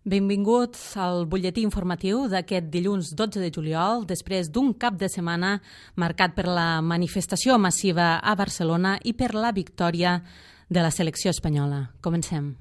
Benvinguts al butlletí informatiu d'aquest dilluns 12 de juliol, després d'un cap de setmana marcat per la manifestació massiva a Barcelona i per la victòria de la selecció espanyola. Comencem.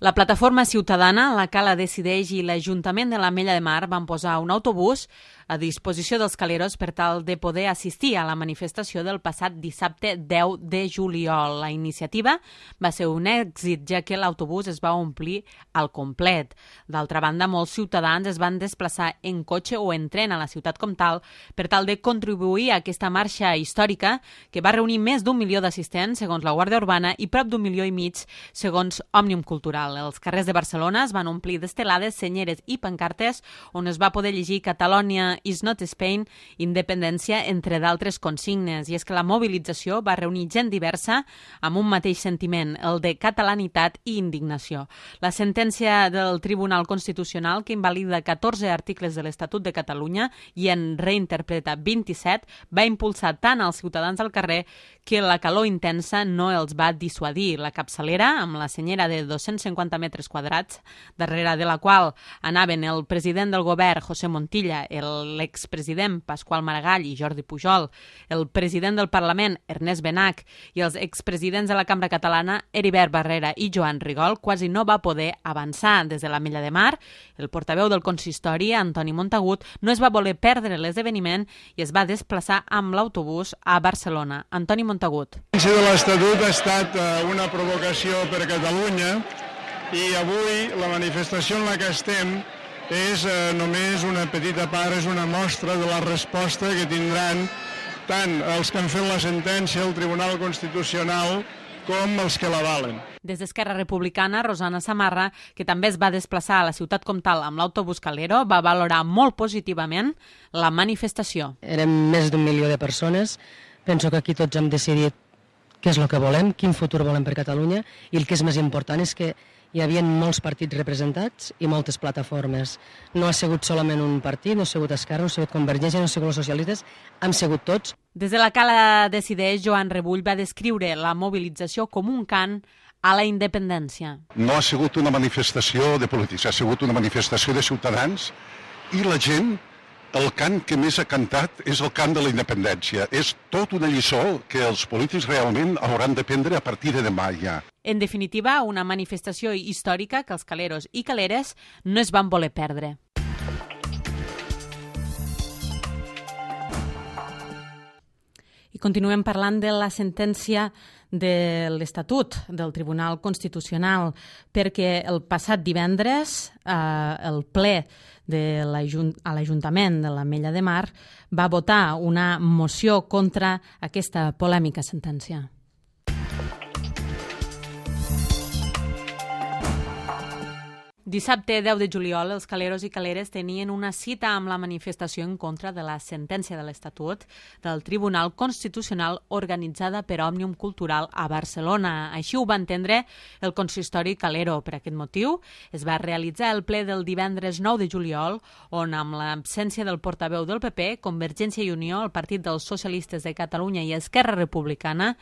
La plataforma ciutadana, la Cala Decideix i l'Ajuntament de l'Ametlla de Mar van posar un autobús a disposició dels caleros per tal de poder assistir a la manifestació del passat dissabte 10 de juliol. La iniciativa va ser un èxit, ja que l'autobús es va omplir al complet. D'altra banda, molts ciutadans es van desplaçar en cotxe o en tren a la ciutat com tal per tal de contribuir a aquesta marxa històrica que va reunir més d'1 milió d'assistents, segons la Guàrdia Urbana, i prop d'1,5 milió, segons Òmnium Cultural. Els carrers de Barcelona es van omplir d'estelades, senyeres i pancartes on es va poder llegir Catalonia is not Spain, independència, entre d'altres consignes. I és que la mobilització va reunir gent diversa amb un mateix sentiment, el de catalanitat i indignació. La sentència del Tribunal Constitucional, que invalida 14 articles de l'Estatut de Catalunya i en reinterpreta 27, va impulsar tant als ciutadans al carrer que la calor intensa no els va dissuadir. La capçalera, amb la senyera de 250 metres quadrats, darrere de la qual anaven el president del govern, José Montilla, l'expresident Pasqual Maragall i Jordi Pujol, el president del Parlament, Ernest Benach, i els expresidents de la Cambra Catalana, Heribert Barrera i Joan Rigol, quasi no va poder avançar. Des de l'Ametlla de Mar, el portaveu del consistori, Antoni Montagut, no es va voler perdre l'esdeveniment i es va desplaçar amb l'autobús a Barcelona. Antoni Montagut. De l'Estatut ha estat una provocació per Catalunya i avui la manifestació en la que estem és només una petita part, és una mostra de la resposta que tindran tant els que han fet la sentència, el Tribunal Constitucional, com els que l'avalen. Des d'Esquerra Republicana, Rosana Samarra, que també es va desplaçar a la ciutat comtal amb l'autobús Calero, va valorar molt positivament la manifestació. Érem més d'1 milió de persones. Penso que aquí tots hem decidit què és el que volem, quin futur volem per Catalunya, i el que és més important és que hi havia molts partits representats i moltes plataformes. No ha sigut solament un partit, no ha sigut Esquerra, no ha sigut Convergència, no ha sigut els socialistes, han sigut tots. Des de la Cala Decideix, Joan Rebull va descriure la mobilització com un cant a la independència. No ha sigut una manifestació de polítics, ha sigut una manifestació de ciutadans i la gent, el cant que més ha cantat és el cant de la independència. És tot una lliçó que els polítics realment hauran de prendre a partir de demà ja. En definitiva, una manifestació històrica que els caleros i caleres no es van voler perdre. I continuem parlant de la sentència de l'Estatut del Tribunal Constitucional, perquè el passat divendres el ple a l'Ajuntament de l'Ametlla de Mar va votar una moció contra aquesta polèmica sentència. Dissabte 10 de juliol, els caleros i caleres tenien una cita amb la manifestació en contra de la sentència de l'Estatut del Tribunal Constitucional organitzada per Òmnium Cultural a Barcelona. Així ho va entendre el consistori calero. Per aquest motiu, es va realitzar el ple del divendres 9 de juliol, on amb l'absència del portaveu del PP, Convergència i Unió, el Partit dels Socialistes de Catalunya i Esquerra Republicana,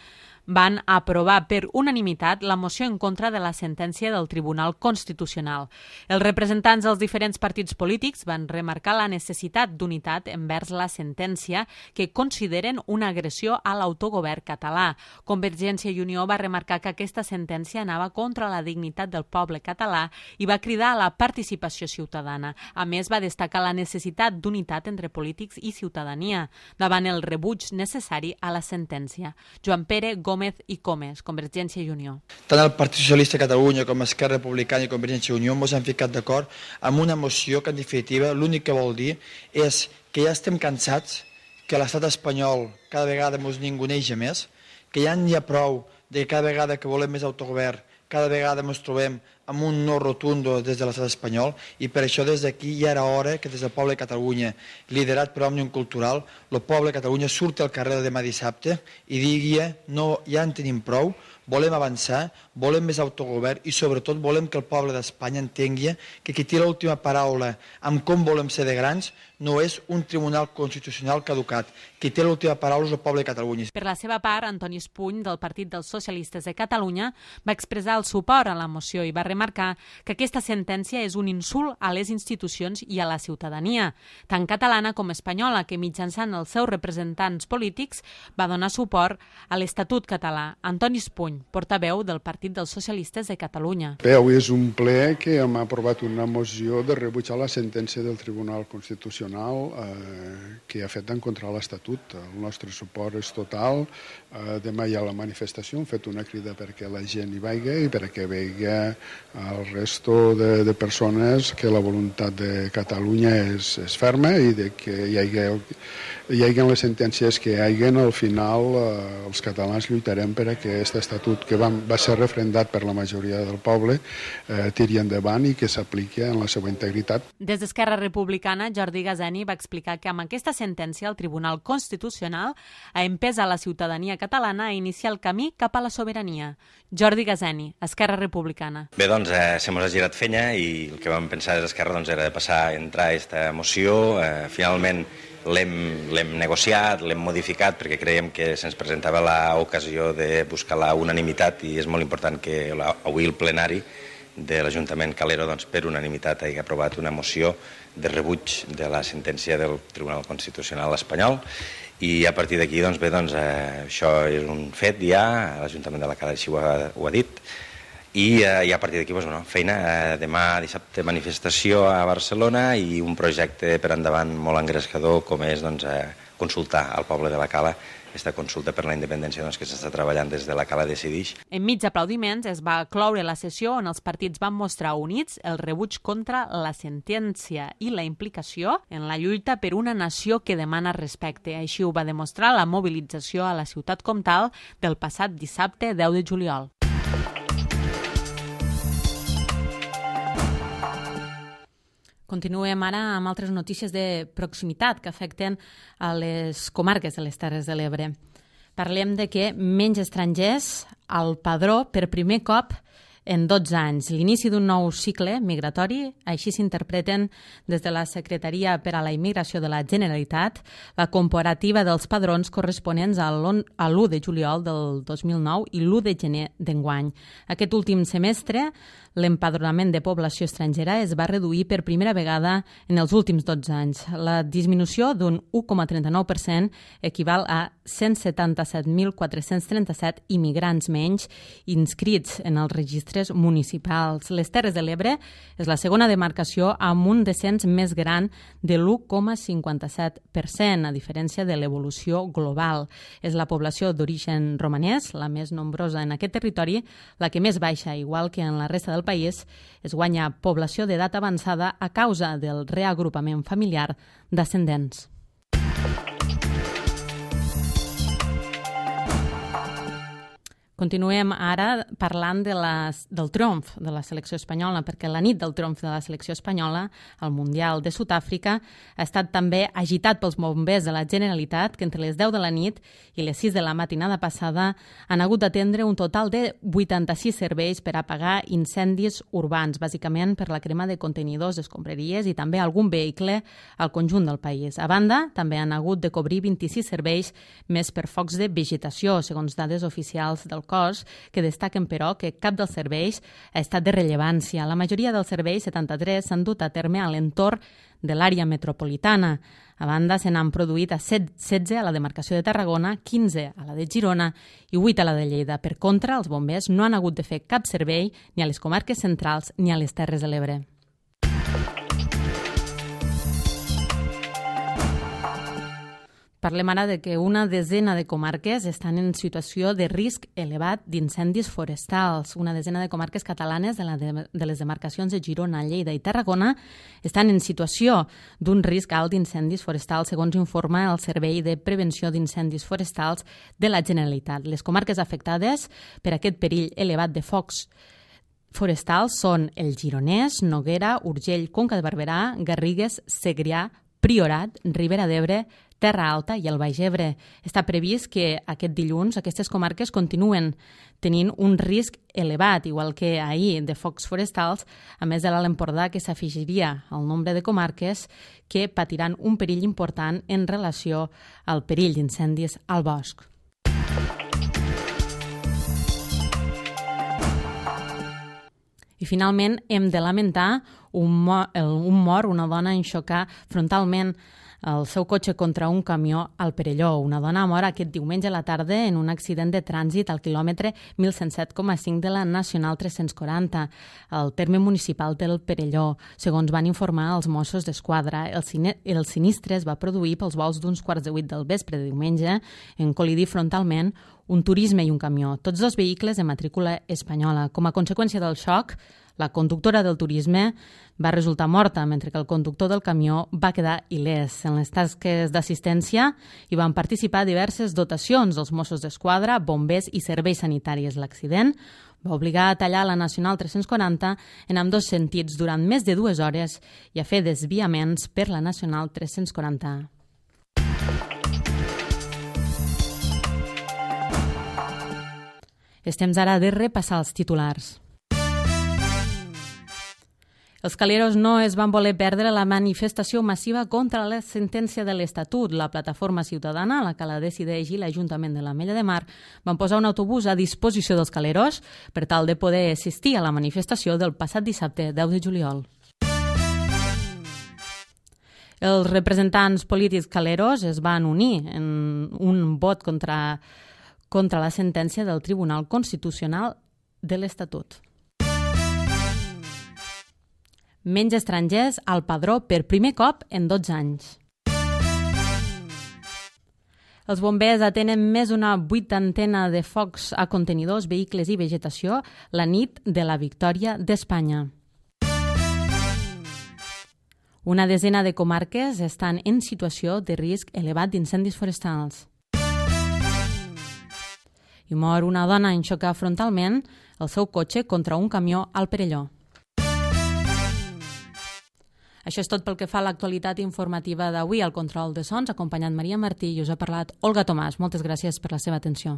van aprovar per unanimitat la moció en contra de la sentència del Tribunal Constitucional. Els representants dels diferents partits polítics van remarcar la necessitat d'unitat envers la sentència que consideren una agressió a l'autogovern català. Convergència i Unió va remarcar que aquesta sentència anava contra la dignitat del poble català i va cridar a la participació ciutadana. A més, va destacar la necessitat d'unitat entre polítics i ciutadania davant el rebuig necessari a la sentència. Joan Pere Gómez i Comes, Convergència i Unió. Tant el Partit Socialista de Catalunya com Esquerra Republicana i Convergència i Unió ens han ficat d'acord amb una moció que, en definitiva, l'únic que vol dir és que ja estem cansats, que l'estat espanyol cada vegada ens ninguneja més, que ja n'hi ha prou de que cada vegada que volem més autogovern, cada vegada ens trobem amb un no rotundo des de l'estat espanyol, i per això des d'aquí ja era hora que des del poble de Catalunya, liderat per Òmnium Cultural, el poble de Catalunya surti al carrer demà dissabte i digui no, ja en tenim prou, volem avançar, volem més autogovern i sobretot volem que el poble d'Espanya entengui que qui té l'última paraula amb com volem ser de grans no és un tribunal constitucional caducat. Qui té l'última paraula és el poble de Catalunya. Per la seva part, Antoni Espuny, del Partit dels Socialistes de Catalunya, va expressar el suport a la moció i va remarcar que aquesta sentència és un insult a les institucions i a la ciutadania, tant catalana com espanyola, que mitjançant els seus representants polítics va donar suport a l'Estatut català. Antoni Espuny, portaveu del Partit dels Socialistes de Catalunya. Bé, avui és un ple que hem aprovat una moció de rebutjar la sentència del Tribunal Constitucional que ha fet en contra de l'Estatut. El nostre suport és total. Demà hi ha la manifestació, hem fet una crida perquè la gent hi vagi i perquè vegi el resto de persones que la voluntat de Catalunya és ferma i de que hi hagi les sentències que hi hagi, al final els catalans lluitarem per aquest estatut que va ser refrendat per la majoria del poble, tiri endavant i que s'apliqui en la seva integritat. Des d'Esquerra Republicana, Jordi Gazeni va explicar que amb aquesta sentència el Tribunal Constitucional ha empès a la ciutadania catalana a iniciar el camí cap a la sobirania. Jordi Gazeni, Esquerra Republicana. Bé, doncs, se mos ha girat fenya i el que vam pensar des d'Esquerra era de passar a entrar a aquesta moció. Finalment l'hem negociat, l'hem modificat perquè creiem que se'ns presentava l'ocasió de buscar la unanimitat i és molt important que avui el plenari de l'Ajuntament Calero per unanimitat hagi aprovat una moció de rebuig de la sentència del Tribunal Constitucional espanyol i a partir d'aquí això és un fet ja, l'Ajuntament de la Cala així ho ha dit i a partir d'aquí feina, demà dissabte manifestació a Barcelona i un projecte per endavant molt engrescador com és consultar al poble de la Cala aquesta consulta per la independència que s'està treballant des de la Cala Decidix. Enmig d'aplaudiments es va cloure la sessió on els partits van mostrar units el rebuig contra la sentència i la implicació en la lluita per una nació que demana respecte. Així ho va demostrar la mobilització a la ciutat comtal del passat dissabte 10 de juliol. Continuem ara amb altres notícies de proximitat que afecten a les comarques de les Terres de l'Ebre. Parlem de que menys estrangers al padró per primer cop en 12 anys. L'inici d'un nou cicle migratori, així s'interpreten des de la Secretaria per a la Immigració de la Generalitat, la comparativa dels padrons corresponents a l'1 de juliol del 2009 i l'1 de gener d'enguany. Aquest últim semestre, l'empadronament de població estrangera es va reduir per primera vegada en els últims 12 anys. La disminució d'un 1,39% equival a 177.437 immigrants menys inscrits en els registres municipals. Les Terres de l'Ebre és la segona demarcació amb un descens més gran de l'1,57%, a diferència de l'evolució global. És la població d'origen romanès, la més nombrosa en aquest territori, la que més baixa, igual que en la resta del país, es guanya població d'edat avançada a causa del reagrupament familiar d'ascendents. Continuem ara parlant del triomf de la selecció espanyola, perquè la nit del triomf de la selecció espanyola al Mundial de Sud-àfrica ha estat també agitat pels bombers de la Generalitat, que entre les 10 de la nit i les 6 de la matinada passada han hagut d'atendre un total de 86 serveis per apagar incendis urbans, bàsicament per la crema de contenidors, escombraries i també algun vehicle al conjunt del país. A banda, també han hagut de cobrir 26 serveis més per focs de vegetació, segons dades oficials del cos, que destaquen, però, que cap dels serveis ha estat de rellevància. La majoria dels serveis, 73, s'han dut a terme a l'entorn de l'àrea metropolitana. A banda, se n'han produït a 16 a la demarcació de Tarragona, 15 a la de Girona i 8 a la de Lleida. Per contra, els bombers no han hagut de fer cap servei ni a les comarques centrals ni a les Terres de l'Ebre. Parlem ara de que una desena de comarques estan en situació de risc elevat d'incendis forestals. Una desena de comarques catalanes de les demarcacions de Girona, Lleida i Tarragona estan en situació d'un risc alt d'incendis forestals, segons informa el Servei de Prevenció d'Incendis Forestals de la Generalitat. Les comarques afectades per aquest perill elevat de focs forestals són el Gironès, Noguera, Urgell, Conca de Barberà, Garrigues, Segrià, Priorat, Ribera d'Ebre, Terra Alta i el Baix Ebre. Està previst que aquest dilluns aquestes comarques continuen tenint un risc elevat, igual que ahir, de focs forestals, a més de l'Alt Empordà, que s'afegiria al nombre de comarques que patiran un perill important en relació al perill d'incendis al bosc. I finalment hem de lamentar un mort, una dona en xocar frontalment el seu cotxe contra un camió al Perelló. Una dona mor aquest diumenge a la tarda en un accident de trànsit al quilòmetre 1107,5 de la Nacional 340, al terme municipal del Perelló. Segons van informar els Mossos d'Esquadra, el sinistre es va produir pels volts d'uns 7:15 del vespre de diumenge en col·lidir frontalment un turisme i un camió, tots dos vehicles de matrícula espanyola. Com a conseqüència del xoc, la conductora del turisme va resultar morta, mentre que el conductor del camió va quedar il·lès. En les tasques d'assistència hi van participar diverses dotacions dels Mossos d'Esquadra, bombers i serveis sanitaris. L'accident va obligar a tallar la Nacional 340 en ambdós sentits durant més de 2 hores i a fer desviaments per la Nacional 340. És temps ara de repassar els titulars. Els caleros no es van voler perdre la manifestació massiva contra la sentència de l'Estatut. La plataforma ciutadana, la Cala Decideix i l'Ajuntament de l'Ametlla de Mar van posar un autobús a disposició dels caleros per tal de poder assistir a la manifestació del passat dissabte 10 de juliol. Els representants polítics caleros es van unir en un vot contra la sentència del Tribunal Constitucional de l'Estatut. Menys estrangers al padró per primer cop en 12 anys. Els bombers atenen més d'una 80 de focs a contenidors, vehicles i vegetació la nit de la victòria d'Espanya. Una desena de comarques estan en situació de risc elevat d'incendis forestals. I mor una dona en xocar frontalment el seu cotxe contra un camió al Perelló. Això és tot pel que fa a l'actualitat informativa d'avui. Al control de sons, acompanyant Maria Martí, i us ha parlat Olga Tomàs. Moltes gràcies per la seva atenció.